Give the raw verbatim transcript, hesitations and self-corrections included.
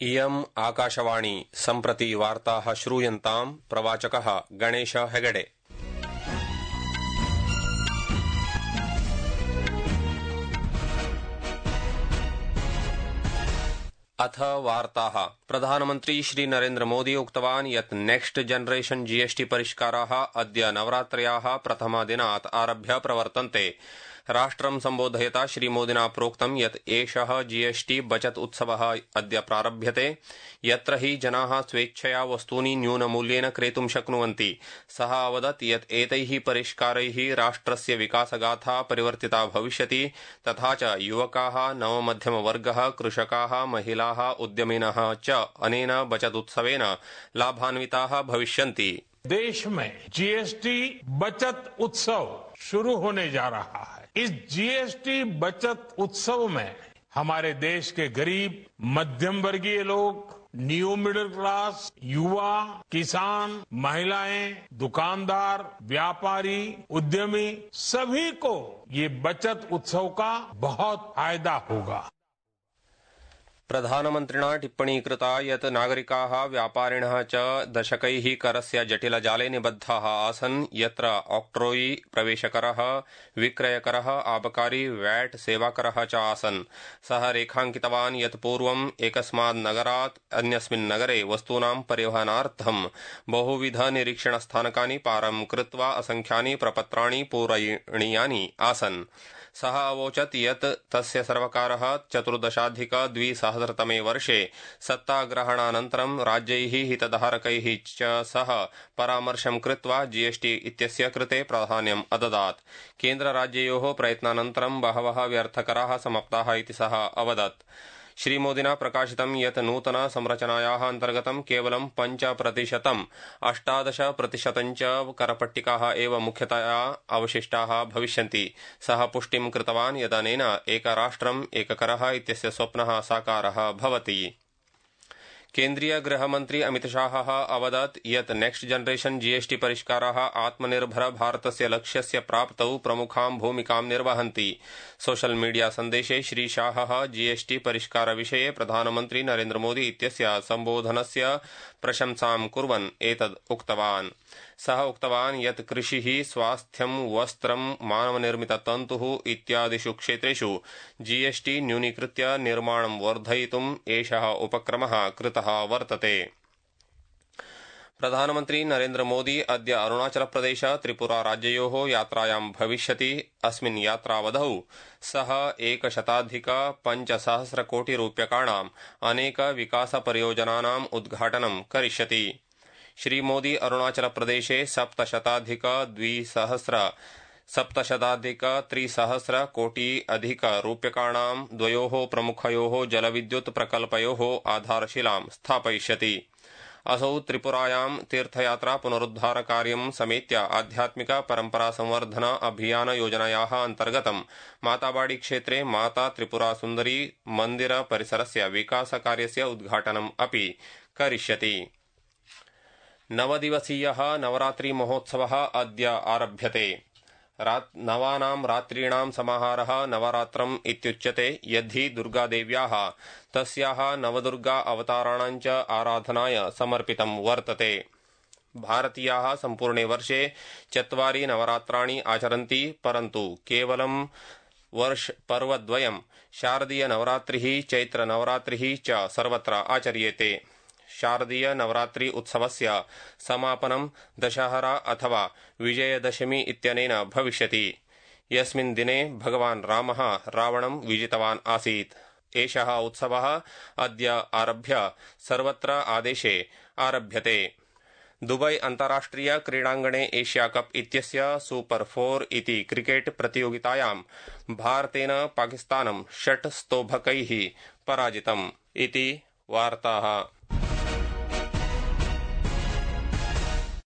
इयम् आकाशवाणी सम्प्रति वार्ताः श्रूयन्ताम् प्रवाचकः गणेश हेगडे। अथ वार्ताः। प्रधानमन्त्री श्री नरेन्द्र मोदी उक्तवान् यत् नेक्स्ट जनरेशन जीएसटी परिष्काराः अद्य नवरात्र्याः प्रथमदिनात् आरभ्य प्रवर्तन्ते। राष्ट्रं सम्बोधयता श्रीमोदिना प्रोक्तं यत् एषः जीएसटी बचत उत्सवः अद्य प्रारभ्यते, यत्र हि जनाः स्वेच्छया वस्तूनि न्यूनमूल्येन क्रेतुं शक्नुवन्ति। सः अवदत् यत् एतैः परिष्कारैः राष्ट्रस्य विकासगाथा परिवर्तिता भविष्यति, तथा च युवकाः, नवमध्यमवर्गः, कृषकाः, महिलाः, उद्यमिनः च अनेन बचत उत्सवेन लाभान्विताः भविष्यन्ति। देश में जीएसटी बचत उत्सव शुरू होने जा रहा है। इस जीएसटी बचत उत्सव में हमारे देश के गरीब, मध्यम वर्गीय लोग, न्यू मिडिल क्लास, युवा, किसान, महिलाएं, दुकानदार, व्यापारी, उद्यमी सभी को ये बचत उत्सव का बहुत फायदा होगा। प्रधानमन्त्रिणा टिप्पणी कृता यत् नागरिकाः, व्यापारिणः च दशकैः करस्य जटिलजाले निबद्धाः आसन्, यत्र ऑक्ट्रोई, प्रवेशकरः, विक्रयकरः, आबकारी, वैट, सेवाकरः च आसन्। सः रेखाङ्कितवान् यत् पूर्वम् एकस्मात् नगरात् अन्यस्मिन् नगरे वस्तूनां परिवहनार्थं बहुविध निरीक्षणस्थानकानि पारं कृत्वा असङ्ख्यानि प्रपत्राणि पूरणीयानि आसन्। सः अवोचत् यत् तस्य सर्वकारः चतुर्दशाधिक द्विसहस्रतमे वर्षे सत्ताग्रहणानन्तरं राज्यैः, हितधारकैः च सह परामर्शं कृत्वा जीएसटी इत्यस्य कृते प्राधान्यम् अददात्। केन्द्रराज्ययोः प्रयत्नानन्तरं बहवः व्यर्थकराः समाप्ताः इति सः अवदत्। श्रीमोदिना प्रकाशितं यत् नूतन संरचनायाः अन्तर्गतं केवलं पञ्च प्रतिशतम् अष्टादश प्रतिशतं च करपट्टिकाः एव मुख्यतया अवशिष्टाः भविष्यन्ति। सः पुष्टिं कृतवान् यदनेन एकराष्ट्रम् एककरः इत्यस्य स्वप्नः साकारः भवति। केन्द्रीय गृहमन्त्री अमितशाहः अवदत् यत् नेक्स्ट जनरेशन जीएसटी परिष्काराः आत्मनिर्भर भारतस्य लक्ष्यस्य प्राप्तौ प्रमुखां भूमिकां निर्वहन्ति। सोशल मीडिया सन्देशे श्रीशाहः जीएसटी परिष्कार विषये प्रधानमन्त्री नरेन्द्र मोदी इत्यस्य सम्बोधनस्य प्रशंसां कुर्वन् एतद् उक्तवान्। सः उक्तवान् यत् कृषिः, स्वास्थ्यं, वस्त्रं, मानवनिर्मिततन्तुः इत्यादिषु क्षेत्रेषु जीएसटी न्यूनीकृत्य निर्माणं वर्धयितुम् एषः उपक्रमः कृतः वर्तते। प्रधानमन्त्री नरेन्द्र मोदी अद्य अरुणाचल प्रदेश, त्रिपुरा राज्ययोः यात्रायां भविष्यति। अस्मिन् यात्रावधौ सः एकशताधिक पञ्चसहस्रकोटिरूप्यकाणाम् अनेक विकासपरियोजनानाम् उद्घाटनं करिष्यति। श्रीमोदी अरुणाचल प्रदेशे सप्तशताधिक द्विसहस्र सप्तशताधिक त्रिसहस्र कोटि अधिक रूप्यकाणां द्वयोः प्रमुखयोः जलविद्युत् प्रकल्पयोः आधारशिलां स्थापयिष्यति। असौ त्रिपुरायां तीर्थयात्रा पुनरुद्धार कार्यं समेत्य आध्यात्मिक परम्परा संवर्धन अभियान योजनायाः अन्तर्गतं माताबाड़ी क्षेत्रे माता त्रिपुरा सुन्दरी मन्दिर परिसरस्य विकासकार्यस्य उद्घाटनम् अपि करिष्यति। नवदिवसीयः नवरात्रि महोत्सवः अद्य आरभ्यते। नवानां रात्रीणां समाहारः नवरात्रम् इत्युच्यते, यद्धि दुर्गादेव्याः तस्याः नवदुर्गा अवताराणां च आराधनाय समर्पितं वर्तते। भारतीयाः सम्पूर्णे वर्षे चत्वारि नवरात्राणि आचरन्ति, परन्तु केवलं वर्ष पर्वद्वयं शारदीय नवरात्रिः, चैत्र नवरात्रिः च सर्वत्र आचर्येते। शारदीय नवरात्रि उत्सवस्य समापनं दशहरा अथवा विजयदशमी इत्यनेन भविष्यति, यस्मिन् दिने भगवान् रामः रावणं विजितवान् आसीत्। एषः उत्सवः अद्य आरभ्य सर्वत्र आदेशे आरभ्यते। दुबई अन्ताराष्ट्रिय क्रीडाङ्गणे एशिया कप इत्यस्य सुपर फोर इति क्रिकेट प्रतियोगितायां भारतेन पाकिस्तानं षट् स्तोभकैः पराजितम् इति वार्ताः।